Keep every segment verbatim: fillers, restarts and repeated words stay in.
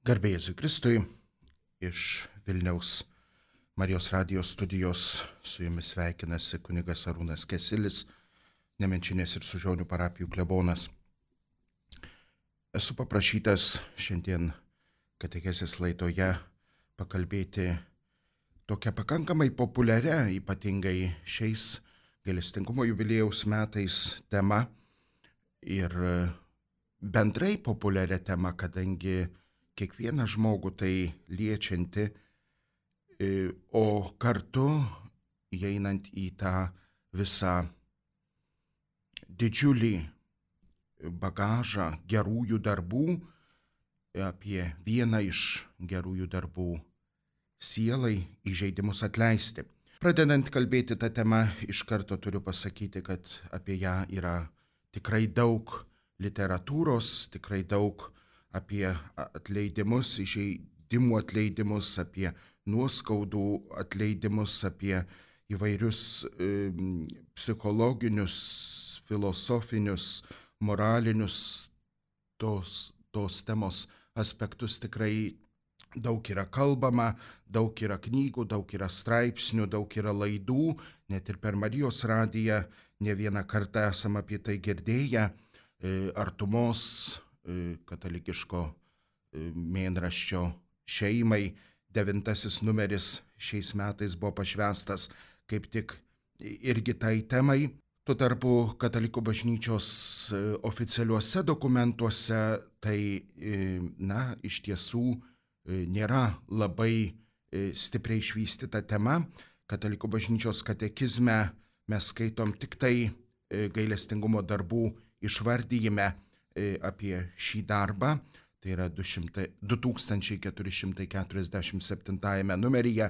Garbė Jėzui Kristui, iš Vilniaus Marijos radijos studijos su jumis sveikinasi kunigas Arūnas Kesilis, Nemenčinės ir Sužionių parapijų klebonas. Esu paprašytas šiandien katechezės laidoje pakalbėti tokia pakankamai populiaria, ypatingai šiais gailestingumo jubiliejaus metais tema ir bendrai populiaria tema, kadangi kiekvieną žmogų tai liečianti, o kartu įeinant į tą visą didžiulį bagažą gerųjų darbų, apie vieną iš gerųjų darbų sielai įžeidimus atleisti. Pradedant kalbėti tą temą, iš karto turiu pasakyti, kad apie ją yra tikrai daug literatūros, tikrai daug apie atleidimus, įžeidimų atleidimus, apie nuoskaudų atleidimus, apie įvairius e, psichologinius, filosofinius, moralinius tos, tos temos aspektus tikrai daug yra kalbama, daug yra knygų, daug yra straipsnių, daug yra laidų, net ir per Marijos radiją ne vieną kartą esam apie tai girdėję, e, artumos katalikiško mėnraščio šeimai. Devintasis numeris šiais metais buvo pašvęstas kaip tik irgi tai temai. Tuo tarpu katalikų bažnyčios oficialiuose dokumentuose tai, na, iš tiesų nėra labai stipriai išvystyta tema. Katalikų bažnyčios katekizme mes skaitom tik tai gailestingumo darbų išvardyjime apie šį darbą, tai yra du tūkstančiai keturi šimtai keturiasdešimt septintajame numeryje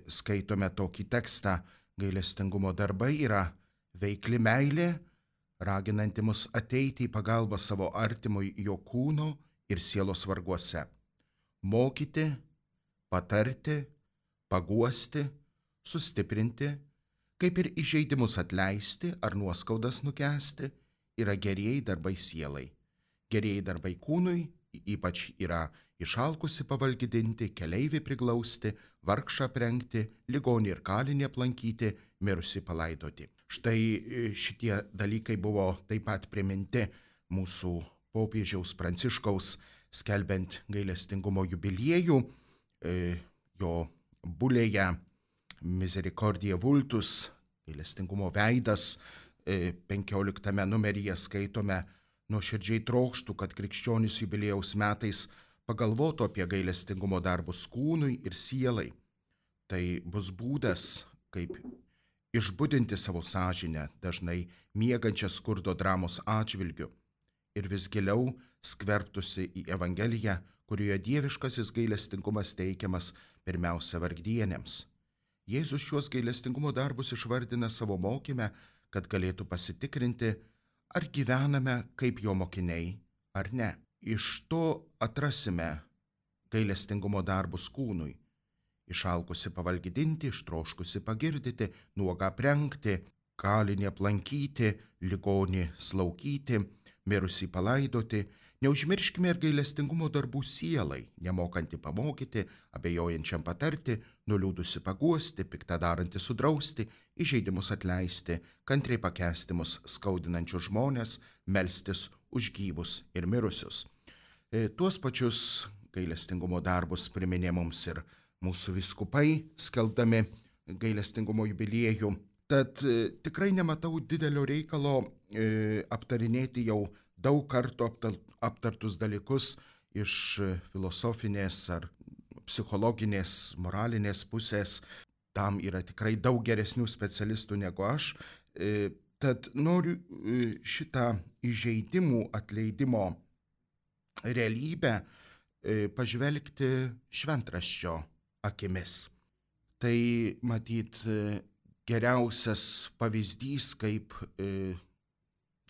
skaitome tokį tekstą: gailestingumo darbai yra veikli meilė, raginanti mus ateiti į pagalbą savo artimui jo kūno ir sielos varguose, mokyti, patarti, paguosti, sustiprinti, kaip ir įžeidimus atleisti ar nuoskaudas nukęsti, yra gerieji darbai sielai. Gerieji darbai kūnui ypač yra išalkusi pavalgydinti, keleivį priglausti, vargšą aprengti, ligonį ir kalinį aplankyti, mirusį palaidoti. Štai šitie dalykai buvo taip pat priminti mūsų popiežiaus Pranciškaus skelbiant gailestingumo jubiliejų. Jo bulėje Misericordiae Vultus, gailestingumo veidas, penkioliktame numeryje skaitome: nuoširdžiai trokštų, kad krikščionys jubiliejaus metais pagalvotų apie gailestingumo darbus kūnui ir sielai. Tai bus būdas, kaip išbudinti savo sąžinę, dažnai miegančią skurdo dramos atžvilgiu, ir vis giliau skverbtųsi į Evangeliją, kurioje dieviškasis gailestingumas teikiamas pirmiausia vargdienėms. Jėzus šiuos gailestingumo darbus išvardina savo mokyme, kad galėtų pasitikrinti, ar gyvename kaip jo mokiniai, ar ne. Iš to atrasime gailestingumo darbus kūnui: išalkusi pavalgydinti, ištroškusi pagirdyti, nuogą aprengti, kalinį aplankyti, ligonį slaugyti, mirusį palaidoti. Neužmirškime ir gailestingumo darbų sielai: nemokanti pamokyti, abejojančiam patarti, nuliūdusi paguosti, piktą darantį sudrausti, įžeidimus atleisti, kantriai pakęsti mus skaudinančius žmones, melstis už gyvus ir mirusius. E, tuos pačius gailestingumo darbus priminė mums ir mūsų vyskupai, skelbdami gailestingumo jubiliejų. Tad e, tikrai nematau didelio reikalo e, aptarinėti jau daug kartų aptartus dalykus iš filosofinės ar psichologinės, moralinės pusės. Tam yra tikrai daug geresnių specialistų negu aš. Tad noriu šitą įžeidimų atleidimo realybę pažvelgti šventraščio akimis. Tai matyt geriausias pavyzdys, kaip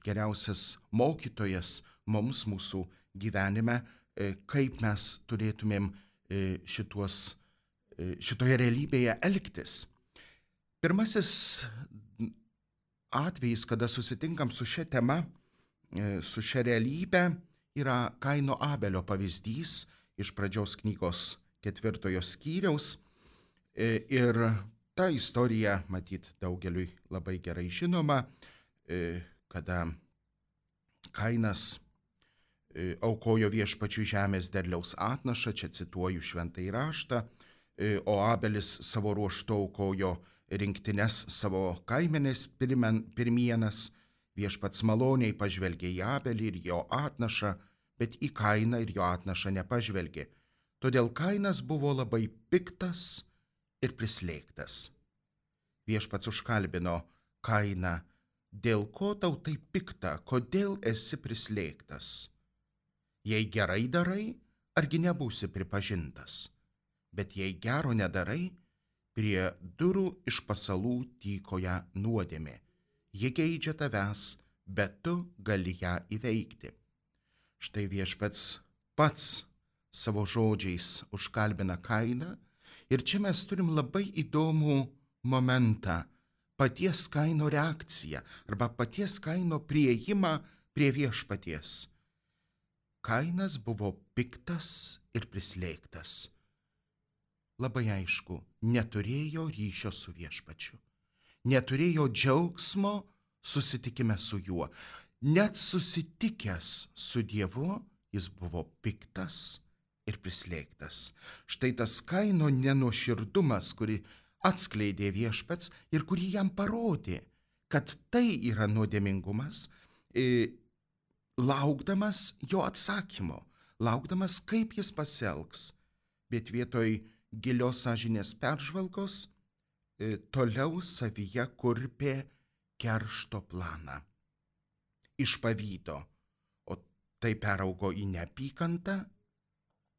geriausias mokytojas mums mūsų gyvenime, kaip mes turėtumėm šituos, šitoje realybėje elgtis. Pirmasis atvejis, kada susitinkam su šia tema, su šia realybė, yra Kaino Abelio pavyzdys iš pradžios knygos ketvirtojo skyriaus. Ir ta istorija, matyt, daugeliui labai gerai žinoma, kada Kainas aukojo viešpačiui žemės derliaus atnašą, čia cituoju šventąjį raštą, o Abelis savo ruožtu aukojo rinktines savo kaimenės pirmienas. Viešpats maloniai pažvelgė į Abelį ir jo atnašą, bet į Kainą ir jo atnašą nepažvelgė. Todėl Kainas buvo labai piktas ir prislėgtas. Viešpats užkalbino Kainą: dėl ko tau taip pikta, kodėl esi prislėgtas? Jei gerai darai, argi nebūsi pripažintas, bet jei gero nedarai, prie durų iš pasalų tykoja nuodėmė. Ji geidžia tavęs, bet tu gali ją įveikti. Štai viešpats pats savo žodžiais užkalbina Kainą, ir čia mes turim labai įdomų momentą, paties Kaino reakciją arba paties Kaino priėjimą prie viešpaties. Kainas buvo piktas ir prislėgtas. Labai aišku, neturėjo ryšio su viešpačiu, neturėjo džiaugsmo susitikime su juo. Net susitikęs su Dievu, jis buvo piktas ir prislėgtas. Štai tas Kaino nenuoširdumas, kurį atskleidė viešpats ir kurį jam parodė, kad tai yra nuodėmingumas, laukdamas jo atsakymo, laukdamas, kaip jis pasielgs, bet vietoj gilios sąžinės peržvalgos toliau savyje kurpė keršto planą. Iš pavydo, o tai peraugo į neapykantą,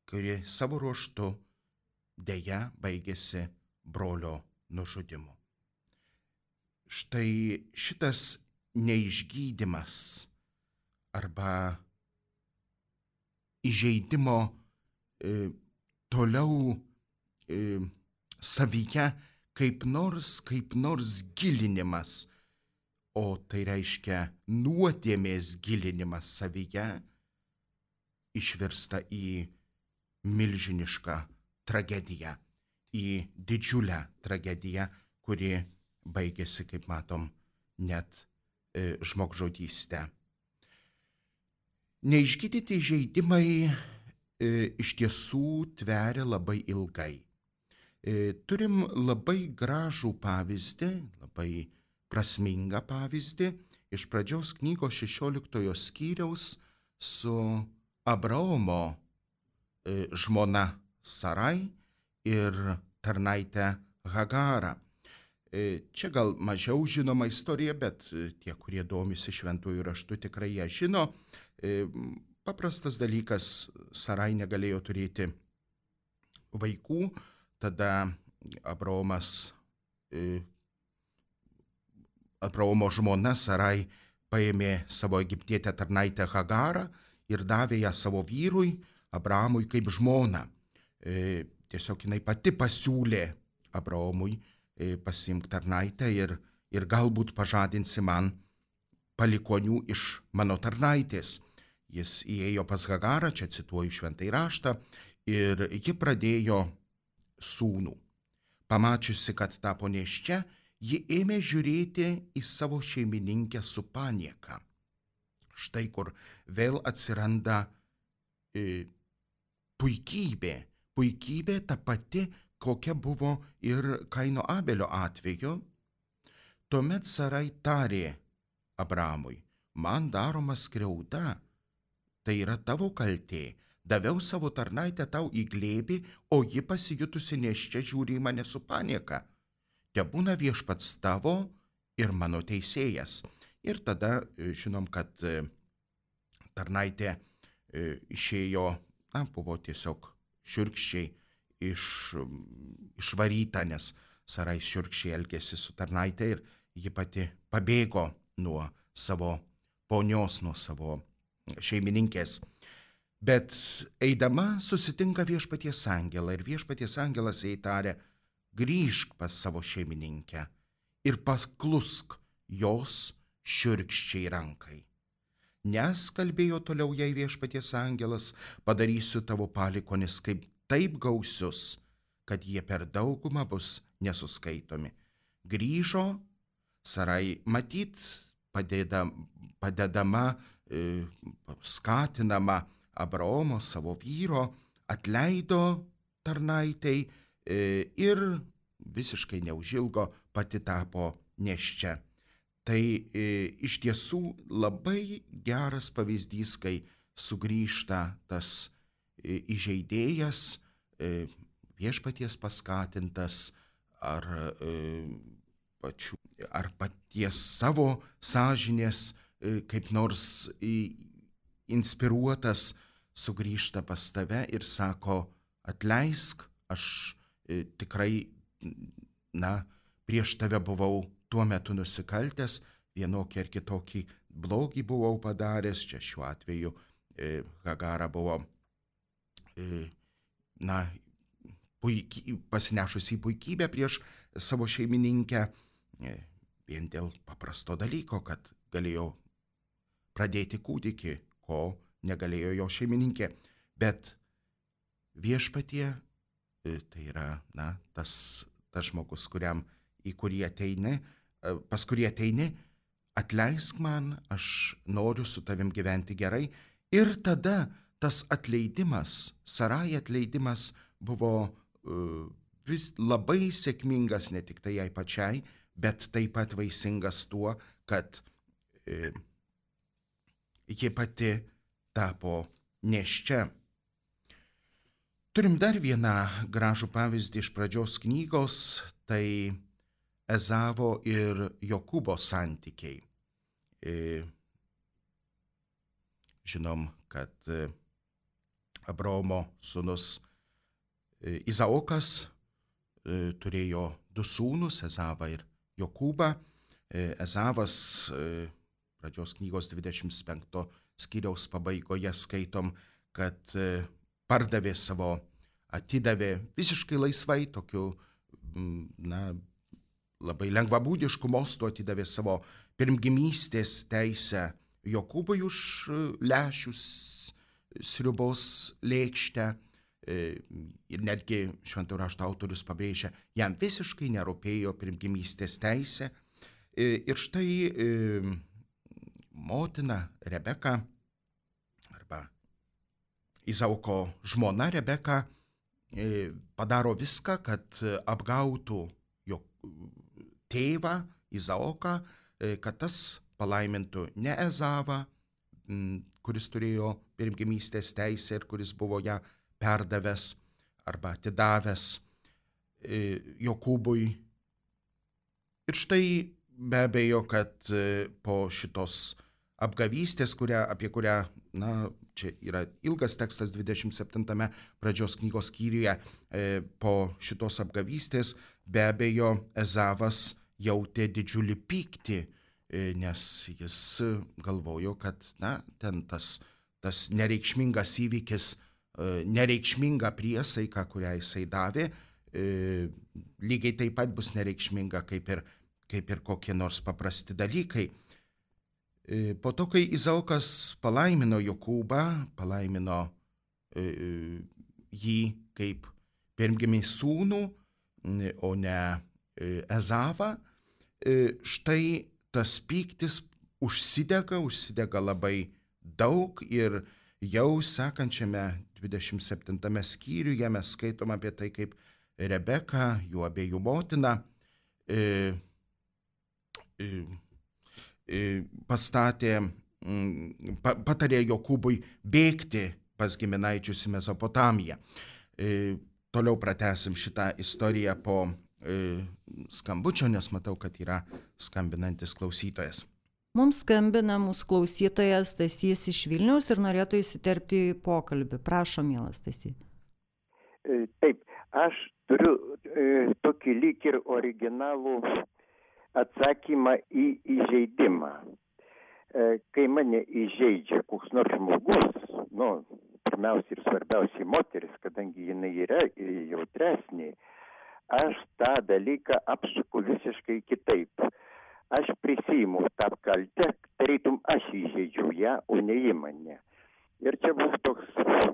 kuri savo ruožtu deja baigėsi brolio nužudymu. Štai šitas neišgydymas arba įžeidimo e, toliau e, savyje kaip nors, kaip nors gilinimas, o tai reiškia nuodėmės gilinimas savyje, išvirsta į milžinišką tragediją, į didžiulę tragediją, kuri baigėsi, kaip matom, net e, žmogžudystę. Neišgydyti žeidimai e, iš tiesų tveria labai ilgai. E, turim labai gražų pavyzdį, labai prasmingą pavyzdį iš pradžios knygos šešioliktojo skyriaus su Abraomo e, žmona Sarai ir tarnaitė Hagara. E, čia gal mažiau žinoma istorija, bet tie, kurie domisi šventųjų raštu, tikrai ją žino. E, paprastas dalykas, Sarai negalėjo turėti vaikų, tada Abraomas, e, Abraomo žmona Sarai paėmė savo egiptietę tarnaitę Hagarą ir davė ją savo vyrui Abraomui kaip žmoną. E, tiesiog jinai pati pasiūlė Abraomui e, pasiimk tarnaitę ir, ir galbūt pažadinsi man palikonių iš mano tarnaitės. Jis įėjo pas Hagarą, čia cituoju šventąjį raštą, ir ji pradėjo sūnų. Pamačiusi, kad tapo nėščia, ji ėmė žiūrėti į savo šeimininkę su panieka. Štai kur vėl atsiranda e, puikybė, puikybė ta pati, kokia buvo ir Kaino Abelio atveju. Tuomet Sarai tarė Abramui: man daroma skriauda, tai yra tavo kaltė. Daviau savo tarnaitę tau į glėbį, o ji pasijutusi nėščia žiūri į mane su panieka. Tebūna viešpats tavo ir mano teisėjas. Ir tada žinom, kad tarnaitė išėjo, na, buvo tiesiog šiurkščiai iš, išvaryta, nes Sarai šiurkščiai elgėsi su tarnaitė ir ji pati pabėgo nuo savo ponios, nuo savo šeimininkės. Bet eidama susitinka viešpaties angelą ir viešpaties angelas jai tarė: grįžk pas savo šeimininkę ir paklusk jos šiurkščiai rankai. nes, kalbėjo toliau jai viešpaties angelas, padarysiu tavo palikonis kaip taip gausius, kad jie per daugumą bus nesuskaitomi. Grįžo Sarai, matyt, padėda, padedama, e, skatinama Abraomo, savo vyro, atleido tarnaitei e, ir visiškai neužilgo pati tapo nėščia. Tai e, iš tiesų labai geras pavyzdys, kai sugrįžta tas e, įžeidėjas, e, viešpaties paskatintas ar, e, pačių, ar paties savo sąžinės e, kaip nors e, inspiruotas, sugrįžta pas tave ir sako, atleisk, aš e, tikrai, na, prieš tave buvau tuo metu nusikaltęs, vienokį ar kitokį blogį buvau padaręs, čia šiuo atveju e, Hagara buvo, e, na, puiky, pasinešusi į puikybę prieš savo šeimininkę, e, vien dėl paprasto dalyko, kad galėjo pradėti kūdikį, ko negalėjo jo šeimininkė. Bet viešpatie, e, tai yra, na, tas, tas žmogus, kuriam, į kurį ateini, pas kurį ateini, atleisk man, aš noriu su tavim gyventi gerai. Ir tada tas atleidimas, Sarai atleidimas buvo uh, vis labai sėkmingas ne tik tai jai pačiai, bet taip pat vaisingas tuo, kad uh, ji pati tapo nėščia. Turim dar vieną gražų pavyzdį iš pradžios knygos, tai Ezavo ir Jokūbo santykiai. E, žinom, kad e, Abraomo sūnus e, Izaokas e, turėjo du sūnus, Ezavą ir Jokūbą. E, Ezavas e, pradžios knygos dvidešimt penkto skyriaus pabaigoje skaitom, kad e, pardavė savo, atidavė visiškai laisvai, tokiu, na, labai lengvabūdiškų mostų atidavė savo pirmgimystės teisę Jokūbui už lęšius sriubos lėkštę. Ir netgi šventojo rašto autorius pabrėžia, jam visiškai nerūpėjo pirmgimystės teisė. Ir štai motina Rebeka arba Izaoko žmona Rebeka padaro viską, kad apgautų jo tėvą Izaoką, kad tas palaimintų ne Ezavą, kuris turėjo pirmgimystės teisę ir kuris buvo ją perdavęs arba atidavęs Jokūbui. Ir štai be abejo, kad po šitos apgavystės, kurią, apie kurią, na, čia yra ilgas tekstas dvidešimt septintame pradžios knygos skyriuje, po šitos apgavystės be abejo Ezavas jautė didžiulį pyktį, nes jis galvojo, kad, na, ten tas, tas nereikšmingas įvykis, nereikšminga priesaika, kurią jisai davė, lygiai taip pat bus nereikšminga kaip ir, kaip ir kokie nors paprasti dalykai. Po to, kai Izaokas palaimino Jokūbą, palaimino jį kaip pirmgimį sūnų, o ne Ezavą, štai tas pyktis užsidega, užsidega labai daug ir jau sekančiame dvidešimt septintame skyriuje mes skaitom apie tai, kaip Rebeka, jų abiejų motina, e, e, pastatė, patarė Jokūbui bėgti pas giminaičius į Mesopotamiją. Toliau pratęsim šitą istoriją po skambučio, nes matau, kad yra skambinantis klausytojas. Mums skambina mūsų klausytojas Stasys iš Vilniaus ir norėtų įsiterpti į pokalbį. Prašom, mielas Stasy. Taip, aš turiu e, tokį lyg ir originalų atsakymą į įžeidimą. E, kai mane įžeidžia koks nors žmogus, nu, pirmiausia ir svarbiausiai moteris, kadangi jinai yra jautresnė, aš tą dalyką apsuku visiškai kitaip. Aš prisiimu tą kaltę, tarytum aš įžeidžiau ją, o ne ji mane. Ir čia buvo toks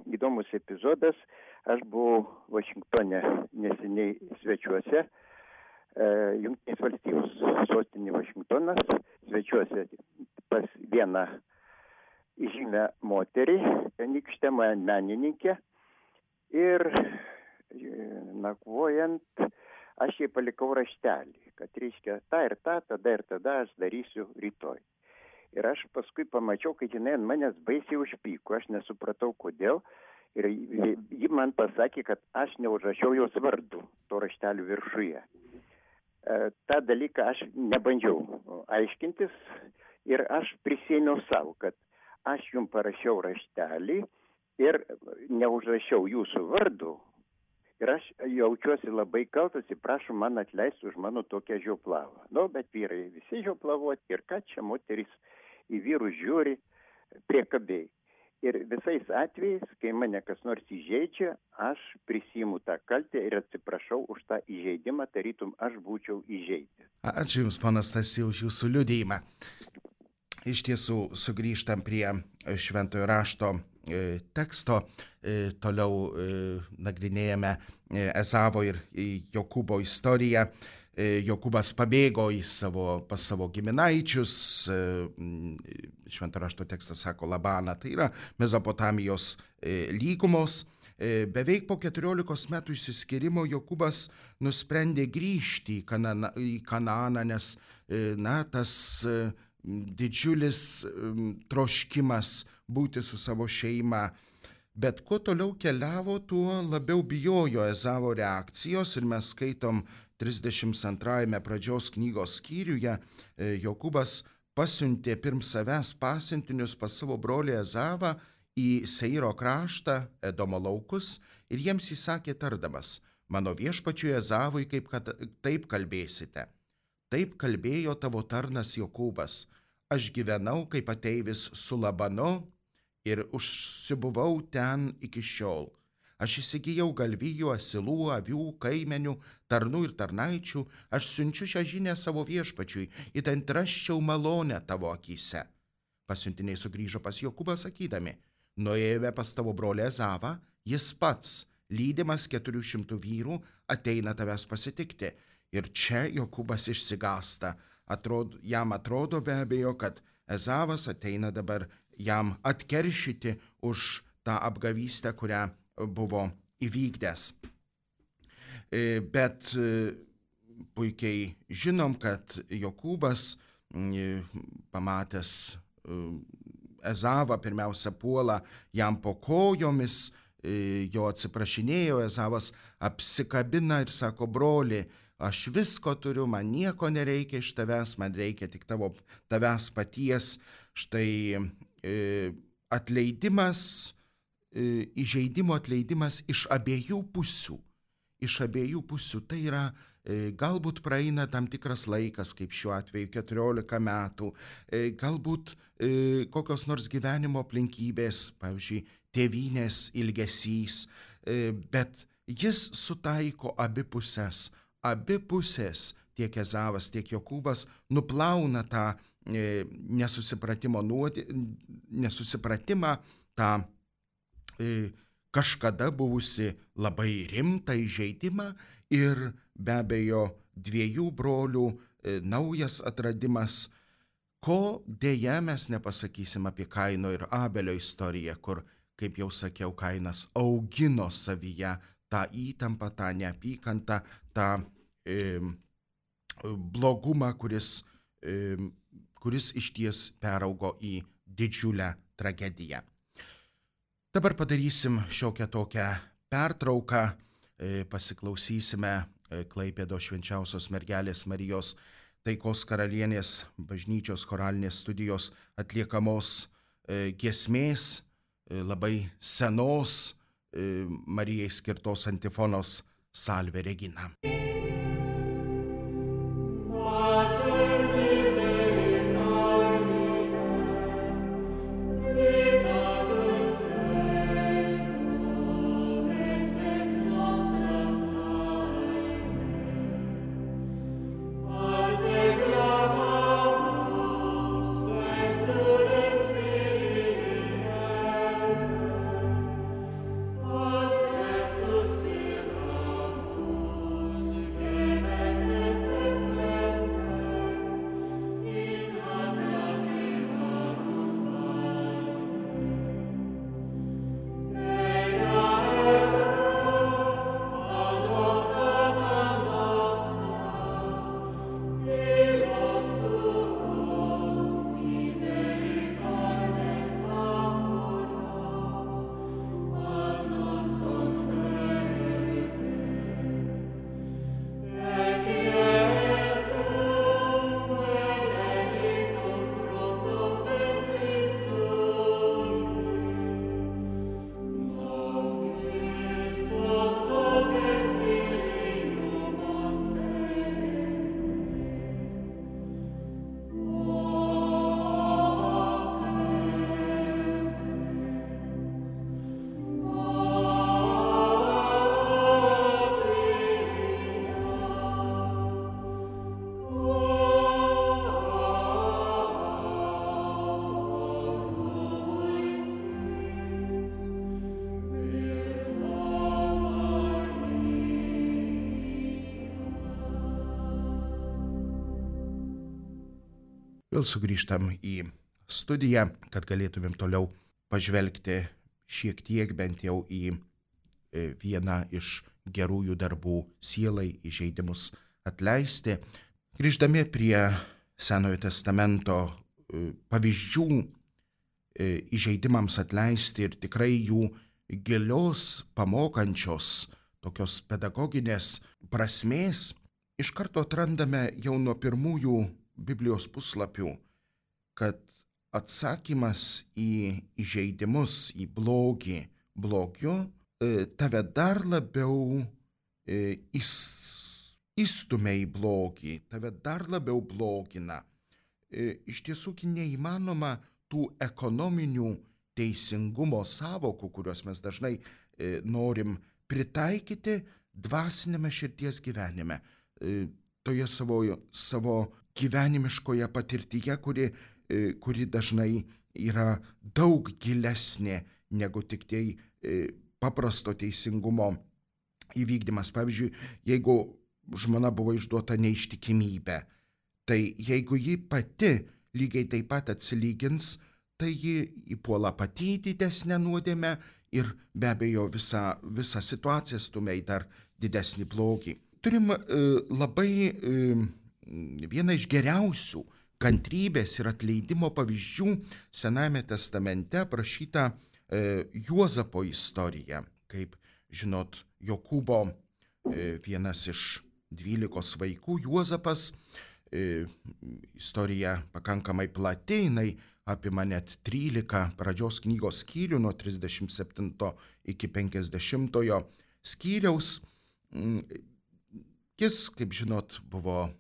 įdomus epizodas. Aš buvau Vašingtone neseniai svečiuose, e, Jungtinės valstijos sostinė Vašingtonas, svečiuose pas vieną žymę moterį, tenykštę menininkę. Ir nakvojant, aš jai palikau raštelį, kad reiškia tą ir tą, tada ir tada aš darysiu rytoj. Ir aš paskui pamačiau, kad jinai ant manęs baisiai užpyko, aš nesupratau kodėl. Ir ji man pasakė, kad aš neužrašiau jos vardų to raštelio viršuje. E, tą dalyką aš nebandžiau aiškintis ir aš prisėmiau savo, kad aš jums parašiau raštelį ir neužrašiau jūsų vardų. Ir aš jaučiuosi labai kaltas ir prašau man atleisti už mano tokią žioplavą. Nu, bet vyrai visi žioplavoti ir ką čia moteris į vyrus žiūri priekabiai. Ir visais atvejais, kai mane kas nors įžeidžia, aš prisiimu tą kaltę ir atsiprašau už tą įžeidimą, tarytum aš būčiau įžeidęs. Ačiū Jums, ponas Stasy, už Jūsų liudijimą. Iš tiesų, sugrįžtam prie Šventojo rašto e, teksto. E, toliau e, nagrinėjame e, Ezavo ir e, Jokūbo istoriją. E, Jokūbas pabėgo į savo, pas savo giminaičius. E, Šventojo rašto tekstas sako Labaną, tai yra Mezopotamijos e, lygumos. E, beveik po keturiolikos metų išsiskyrimo Jokūbas nusprendė grįžti į, Kanana, į Kanaaną, nes e, na, tas e, didžiulis e, troškimas būti su savo šeima. Bet kuo toliau keliavo, tuo labiau bijojo Ezavo reakcijos ir mes skaitom trisdešimt antrajame pradžios knygos skyriuje, e, Jokūbas pasiuntė pirm savęs pasiuntinius pas savo brolį Ezavą į Seiro kraštą, Edomo laukus, ir jiems įsakė tardamas, mano viešpačiui Ezavui kaip kad taip kalbėsite. Taip kalbėjo tavo tarnas Jokūbas. Aš gyvenau kaip ateivis su Labanu ir užsibuvau ten iki šiol. Aš įsigijau galvijų, asilų, avių, kaimenių, tarnų ir tarnaičių. Aš siunčiu šią žinią savo viešpačiui, įtent rasčiau malonę tavo akyse. Pasiuntiniai sugrįžo pas Jokūbą sakydami, nuėjome pas tavo brolį Ezavą, jis pats, lydimas keturių šimtų vyrų, ateina tavęs pasitikti. Ir čia Jokūbas išsigąsta. Atrodo, jam atrodo be abejo, kad Ezavas ateina dabar jam atkeršyti už tą apgavystę, kurią buvo įvykdęs. Bet puikiai žinom, kad Jokūbas, pamatęs Ezavą, pirmiausia puola jam po kojomis, jo atsiprašinėjo, Ezavas apsikabina ir sako, broli, aš visko turiu, man nieko nereikia iš tavęs, man reikia tik tavo, tavęs paties. Štai atleidimas, įžeidimo atleidimas iš abiejų pusių. Iš abiejų pusių. Tai yra, galbūt praeina tam tikras laikas, kaip šiuo atveju keturiolika metų, galbūt kokios nors gyvenimo aplinkybės, pavyzdžiui, tėvynės ilgesys, bet jis sutaiko abi pusės. Abi pusės, tiek Ezavas, tiek Jokūbas, nuplauna tą nesusipratimo nuodį, nesusipratimą, tą kažkada buvusi labai rimtą įžeidimą ir be abejo dviejų brolių naujas atradimas, ko dėja mes nepasakysim apie Kaino ir Abelio istoriją, kur, kaip jau sakiau, Kainas augino savyje tą įtampą, tą neapykantą, tą e, blogumą, kuris, e, kuris išties peraugo į didžiulę tragediją. Dabar padarysim šiokią tokią pertrauką, pasiklausysime Klaipėdos Švenčiausios Mergelės Marijos Taikos karalienės bažnyčios choralinės studijos atliekamos giesmės, labai senos Marijai skirtos antifonos Salve Regina. Spirit vėl sugrįžtam į studiją, kad galėtumėm toliau pažvelgti šiek tiek bent jau į vieną iš gerųjų darbų sielai įžeidimus atleisti. Grįždami prie Senojo testamento pavyzdžių įžeidimams atleisti ir tikrai jų gilios, pamokančios, tokios pedagoginės prasmės, iš karto atrandame jau nuo pirmųjų Biblijos puslapių, kad atsakymas į įžeidimus, į blogį, blogiu, tave dar labiau įstumia į blogį, tave dar labiau blogina. Iš tiesų neįmanoma tų ekonominių teisingumo sąvokų, kuriuos mes dažnai norim pritaikyti dvasinėme širdies gyvenime, toje savo, savo gyvenimiškoje patirtyje, kuri, kuri dažnai yra daug gilesnė negu tik tai paprasto teisingumo įvykdymas. Pavyzdžiui, jeigu žmona buvo išduota neištikimybę, tai jeigu ji pati lygiai taip pat atsilygins, tai ji įpuola pati didesnę nuodėmę ir be abejo visą, visą situaciją stumia į dar didesnį blogį. Turim e, labai e, vieną iš geriausių kantrybės ir atleidimo pavyzdžių Senajame testamente aprašytą e, Juozapo istoriją. Kaip žinot, Jokūbo e, vienas iš dvylikos vaikų, Juozapas, e, istorija pakankamai plati, jinai apima net trylika pradžios knygos skyrių nuo trisdešimt septinto iki penkiasdešimtojo skyriaus. Jis, kaip žinot, buvo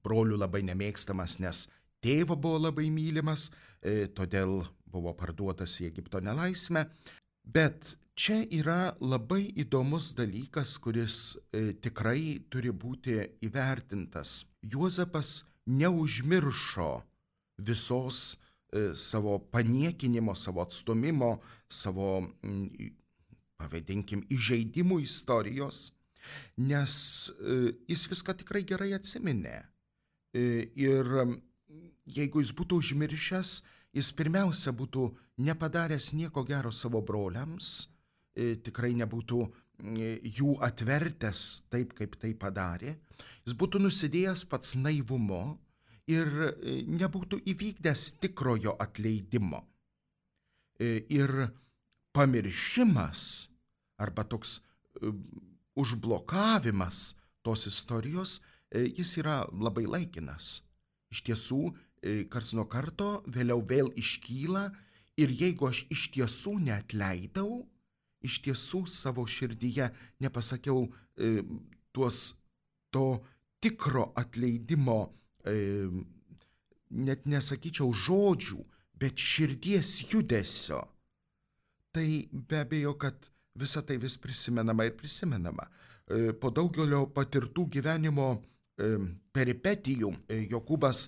brolių labai nemėgstamas, nes tėvo buvo labai mylimas, todėl buvo parduotas į Egipto nelaisvę. Bet čia yra labai įdomus dalykas, kuris tikrai turi būti įvertintas. Juozapas neužmiršo visos e, savo paniekinimo, savo atstumimo, savo, m, pavadinkim, įžeidimų istorijos, nes e, jis viską tikrai gerai atsiminė. E, ir jeigu jis būtų užmiršęs, jis pirmiausia būtų nepadaręs nieko gero savo broliams, e, tikrai nebūtų e, jų atvertęs taip, kaip tai padarė, jis būtų nusidėjęs pats naivumu, ir nebūtų įvykdęs tikrojo atleidimo. Ir pamiršimas arba toks užblokavimas tos istorijos, jis yra labai laikinas. Iš tiesų, karts nuo karto vėliau vėl iškyla ir jeigu aš iš tiesų neatleidau, iš tiesų savo širdyje nepasakiau tuos to tikro atleidimo, net nesakyčiau žodžių, bet širdies judesio, tai be abejo, kad visa tai vis prisimenama ir prisimenama. Po daugelio patirtų gyvenimo peripetijų Jokūbas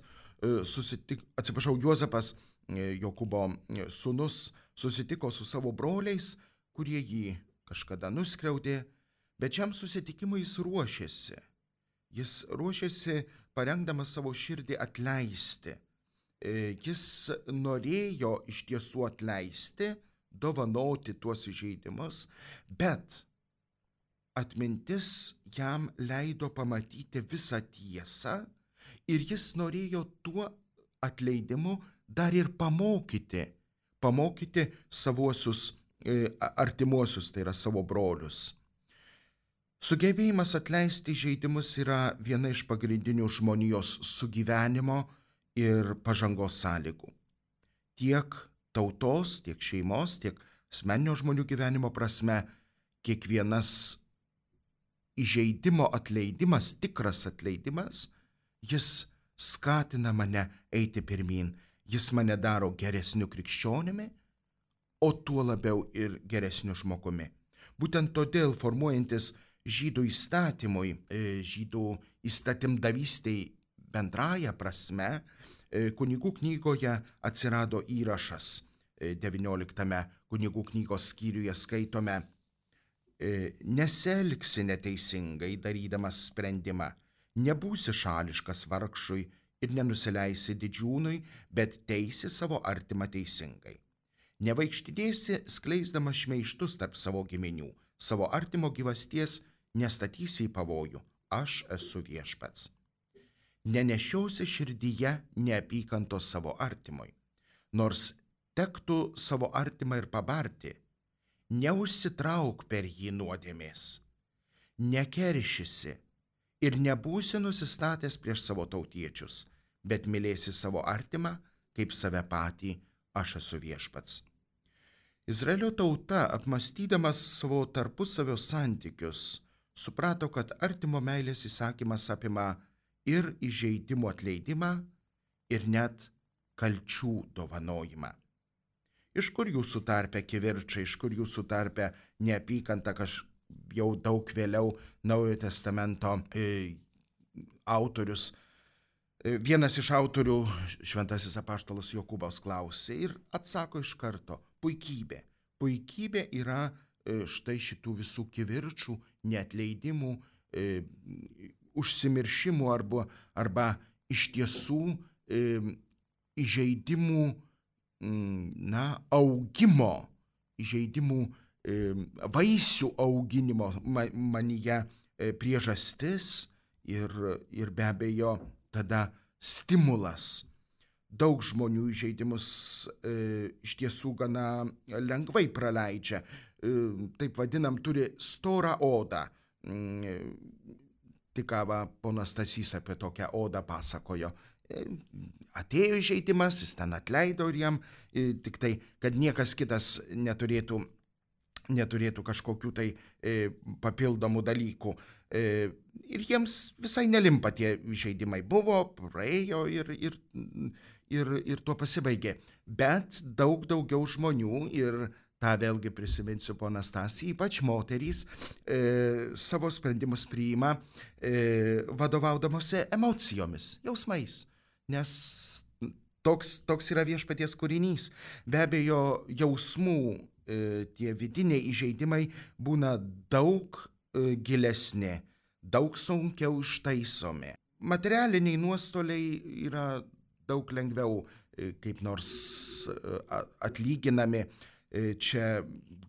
susitik, atsiprašau, Juozapas, Jokūbo sūnus, susitiko su savo broliais, kurie jį kažkada nuskriaudė, bet šiam susitikimui jis ruošėsi. Jis ruošėsi parengdamas savo širdį atleisti. Jis norėjo iš tiesų atleisti, dovanoti tuos įžeidimus, bet atmintis jam leido pamatyti visą tiesą ir jis norėjo tuo atleidimu dar ir pamokyti, pamokyti savuosius artimuosius, tai yra savo brolius. Sugebėjimas atleisti įžeidimus yra viena iš pagrindinių žmonijos sugyvenimo ir pažangos sąlygų. Tiek tautos, tiek šeimos, tiek asmeninio žmonių gyvenimo prasme, kiekvienas įžeidimo atleidimas, tikras atleidimas, jis skatina mane eiti pirmyn, jis mane daro geresniu krikščionimi, o tuo labiau ir geresniu žmogumi. Būtent todėl formuojantis žydų įstatymui, žydų įstatymdavystei bendraja prasme, kunigų knygoje atsirado įrašas, devynioliktame kunigų knygos skyriuje skaitome: nesielgsi neteisingai darydamas sprendimą, nebūsi šališkas vargšui ir nenusileisi didžiūnui, bet teisi savo artimą teisingai. Nevaikštidėsi skleisdamas šmeižtus tarp savo giminių, savo artimo gyvasties nestatysi į pavojų, aš esu viešpats. Nenešiosi širdyje neapykantos savo artimui, nors tektų savo artimą ir pabarti, neužsitrauk per jį nuodėmės, nekeršysi ir nebūsi nusistatęs prieš savo tautiečius, bet mylėsi savo artimą, kaip save patį, aš esu viešpats. Izraelio tauta, apmąstydamas savo tarpusavio santykius, suprato, kad artimo meilės įsakymas apima ir įžeidimų atleidimą, ir net kalčių dovanojimą. Iš kur jūsų tarpe kivirčai, iš kur jūsų tarpe neapykanta, kaž jau daug vėliau Naujojo testamento e, autorius. E, vienas iš autorių, šventasis apaštalas Jokūbas, klausė ir atsako iš karto: puikybė. Puikybė yra e, štai šitų visų kivirčų, neatleidimų, e, užsimiršimų arba, arba iš tiesų e, įžeidimų, na, augimo, įžeidimų e, vaisių auginimo manyje e, priežastis ir, ir be abejo tada stimulas. Daug žmonių įžeidimus e, iš tiesų gana lengvai praleidžia. E, taip vadinam, turi storą odą. E, tik ką va, ponas Stasys apie tokią odą pasakojo. E, atėjo įžeidimas, jis ten atleido ir jam e, tik tai, kad niekas kitas neturėtų, neturėtų kažkokių tai e, papildomų dalykų. E, ir jiems visai nelimpa tie įžeidimai. Buvo, praėjo ir, ir, ir, ir tuo pasibaigė. Bet daug daugiau žmonių, ir tą vėlgi prisiminsiu ponas Stasį, ypač moterys, e, savo sprendimus priima e, vadovaudamosi emocijomis, jausmais. Nes toks, toks yra viešpaties kūrinys. Be abejo, jausmų e, tie vidiniai įžeidimai būna daug e, gilesni, daug sunkiau ištaisomi. Materialiniai nuostoliai yra daug lengviau e, kaip nors e, atlyginami. E, čia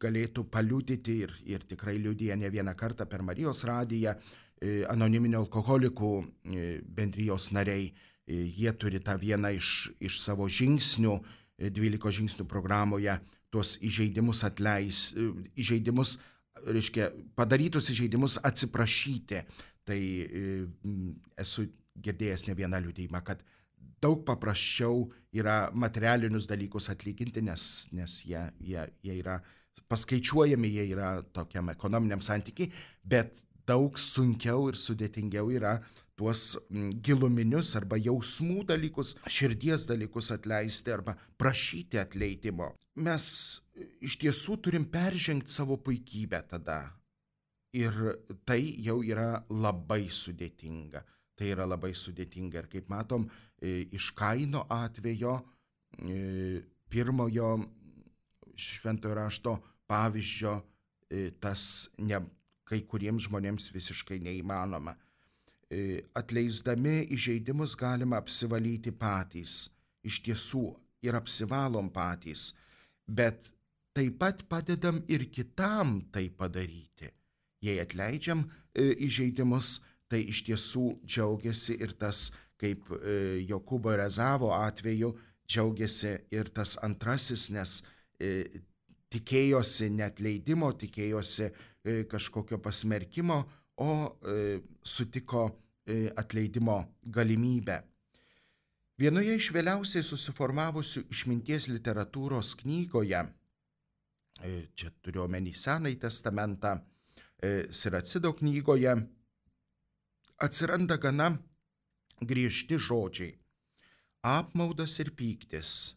galėtų paliudyti ir, ir tikrai liudija ne vieną kartą per Marijos radiją e, anoniminių alkoholikų e, bendrijos nariai. Jie turi tą vieną iš, iš savo žingsnių, dvylikos žingsnių programoje, tuos įžeidimus atleis, įžeidimus, reiškia, padarytus įžeidimus atsiprašyti. Tai esu girdėjęs ne vieną liudijimą, kad daug paprasčiau yra materialinius dalykus atlyginti, nes, nes jie, jie, jie yra paskaičiuojami, jie yra tokiam ekonominiam santykiai, bet daug sunkiau ir sudėtingiau yra tuos giluminius arba jausmų dalykus, širdies dalykus atleisti arba prašyti atleidimo. Mes iš tiesų turim peržengti savo puikybę tada. Ir tai jau yra labai sudėtinga. Tai yra labai sudėtinga. Ir kaip matom, iš Kaino atvejo, pirmojo šventojo rašto pavyzdžio, tas ne, kai kuriems žmonėms visiškai neįmanoma. Atleisdami įžeidimus galima apsivalyti patys, iš tiesų ir apsivalom patys, bet taip pat padedam ir kitam tai padaryti. Jei atleidžiam įžeidimus, tai iš tiesų džiaugiasi ir tas, kaip Jokūbo ir Ezavo atveju, džiaugiasi ir tas antrasis, nes tikėjosi neatleidimo, tikėjosi kažkokio pasmerkimo, o sutiko atleidimo galimybę. Vienoje iš vėliausiai susiformavusių išminties literatūros knygoje, čia turiu omeny Senąjį testamentą, Siracido knygoje, atsiranda gana griežti žodžiai. Apmaudas ir pyktis,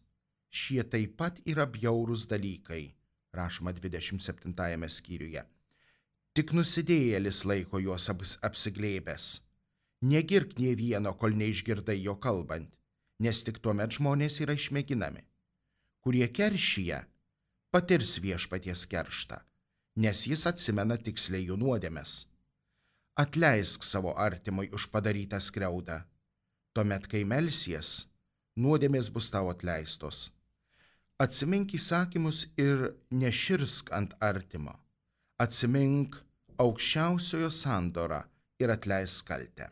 šie taip pat yra bjaurūs dalykai, rašoma dvidešimt septintajame skyriuje. Tik nusidėjėlis laiko juos apsiglėbęs. Negirk nė vieno, kol neišgirdai jo kalbant, nes tik tuomet žmonės yra išmėginami. Kurie keršyje, patirs viešpaties kerštą, nes jis atsimena tiksliai jų nuodėmes. Atleisk savo artimui už padarytą skriaudą. tuomet, kai melsies, nuodėmės bus tau atleistos. Atsimink įsakymus ir neširsk ant artimo. Atsimink aukščiausiojo sandorą ir atleisk kaltę.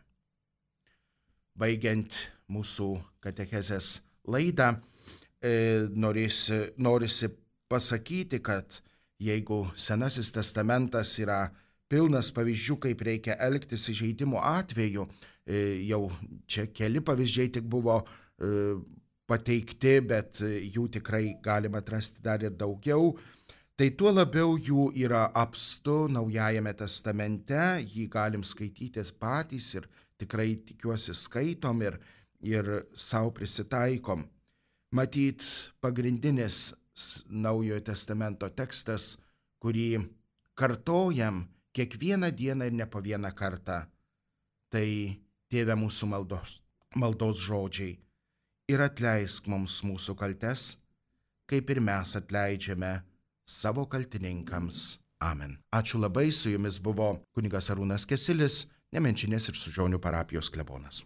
Baigiant mūsų katechezės laidą, e, norisi, norisi pasakyti, kad jeigu Senasis testamentas yra pilnas pavyzdžių, kaip reikia elgtis įžeidimo atveju, e, jau čia keli pavyzdžiai tik buvo e, pateikti, bet jų tikrai galima atrasti dar ir daugiau, tai tuo labiau jų yra apstu Naujajame testamente, jį galim skaitytis patys ir tikrai tikiuosi skaitom ir, ir savo prisitaikom. Matyt, pagrindinis Naujojo testamento tekstas, kurį kartojam kiekvieną dieną ir ne po vieną kartą, tai Tėve mūsų maldos, maldos žodžiai. Ir atleisk mums mūsų kaltes, kaip ir mes atleidžiame savo kaltininkams. Amen. Ačiū labai, su jumis buvo kunigas Arūnas Kesilis, Nemenčinės ir Sužionių parapijos klebonas.